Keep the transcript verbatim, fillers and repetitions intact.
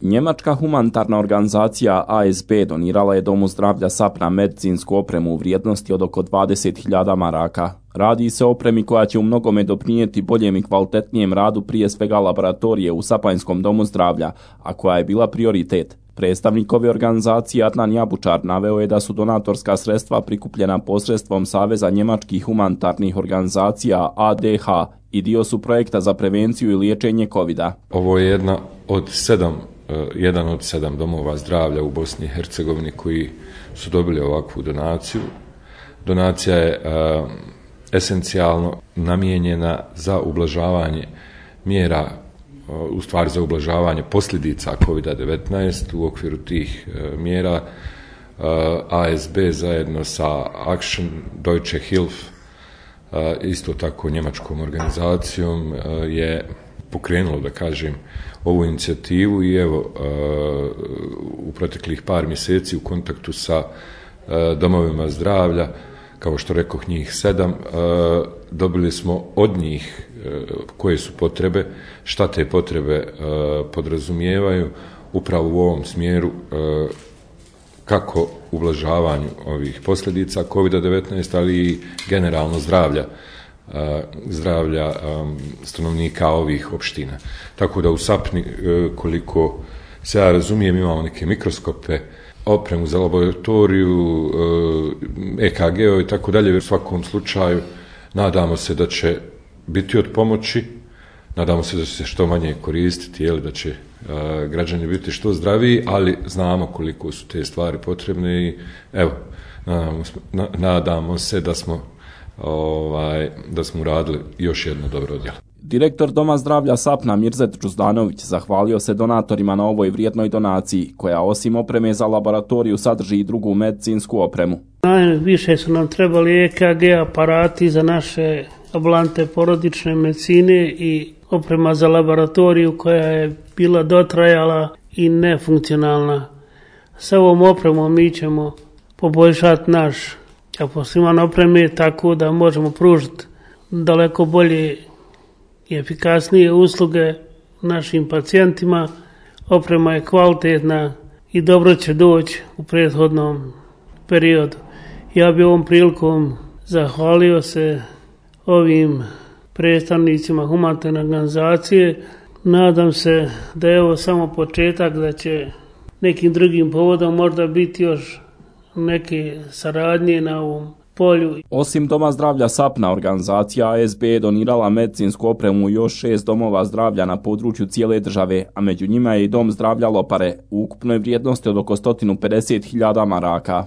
Njemačka humanitarna organizacija A S B donirala je Domu zdravlja Sapna medicinsku opremu u vrijednosti od oko dvadeset hiljada maraka. Radi se o opremi koja će u mnogome doprinijeti boljem i kvalitetnijem radu prije svega laboratorije u Sapanjskom domu zdravlja, a koja je bila prioritet. Predstavnik ove organizacije Adnan Jabučar naveo je da su donatorska sredstva prikupljena posredstvom Saveza njemačkih humanitarnih organizacija A D H i dio su projekta za prevenciju i liječenje kovida. Ovo je jedna od sedam, jedan od sedam domova zdravlja u Bosni i Hercegovini koji su dobili ovakvu donaciju. Donacija je uh, esencijalno namijenjena za ublažavanje mjera, u stvari za ublažavanje posljedica kovida devetnaest. U okviru tih uh, mjera uh, A S B zajedno sa Action Deutsche Hilfe, uh, isto tako njemačkom organizacijom, uh, je pokrenulo, da kažem, ovu inicijativu i evo uh, u proteklih par mjeseci u kontaktu sa uh, domovima zdravlja, kao što rekoh njih sedam, uh, dobili smo od njih uh, koje su potrebe, šta te potrebe uh, podrazumijevaju upravo u ovom smjeru uh, kako ublažavanju ovih posljedica kovida devetnaest, ali i generalno zdravlja zdravlja um, stanovnika ovih opština. Tako da u Sapni, koliko se ja razumijem, imamo neke mikroskope, opremu za laboratoriju, E K G i tako dalje. U svakom slučaju nadamo se da će biti od pomoći, nadamo se da će se što manje koristiti, jel, da će uh, građani biti što zdraviji, ali znamo koliko su te stvari potrebne i evo, nadamo, nadamo se da smo Ovaj, da smo uradili još jedno dobro djelo. Direktor Doma zdravlja Sapna Mirzet Džuzdanović zahvalio se donatorima na ovoj vrijednoj donaciji, koja osim opreme za laboratoriju sadrži i drugu medicinsku opremu. Najviše su nam trebali E K G aparati za naše ambulante porodične medicine i oprema za laboratoriju koja je bila dotrajala i nefunkcionalna. Sa ovom opremom mi ćemo poboljšati naš kapacitete opreme tako da možemo pružiti daleko bolje i efikasnije usluge našim pacijentima. Oprema je kvalitetna i dobro će doći u prethodnom periodu. Ja bih ovom prilikom zahvalio se ovim predstavnicima humanitarne organizacije. Nadam se da je ovo samo početak, da će nekim drugim povodom možda biti još neke saradnje na ovom polju. Osim Doma zdravlja Sapna, organizacija A S B je donirala medicinsku opremu još šest domova zdravlja na području cijele države, a među njima je i Dom zdravlja Lopare u ukupnoj vrijednosti od oko sto pedeset hiljada maraka.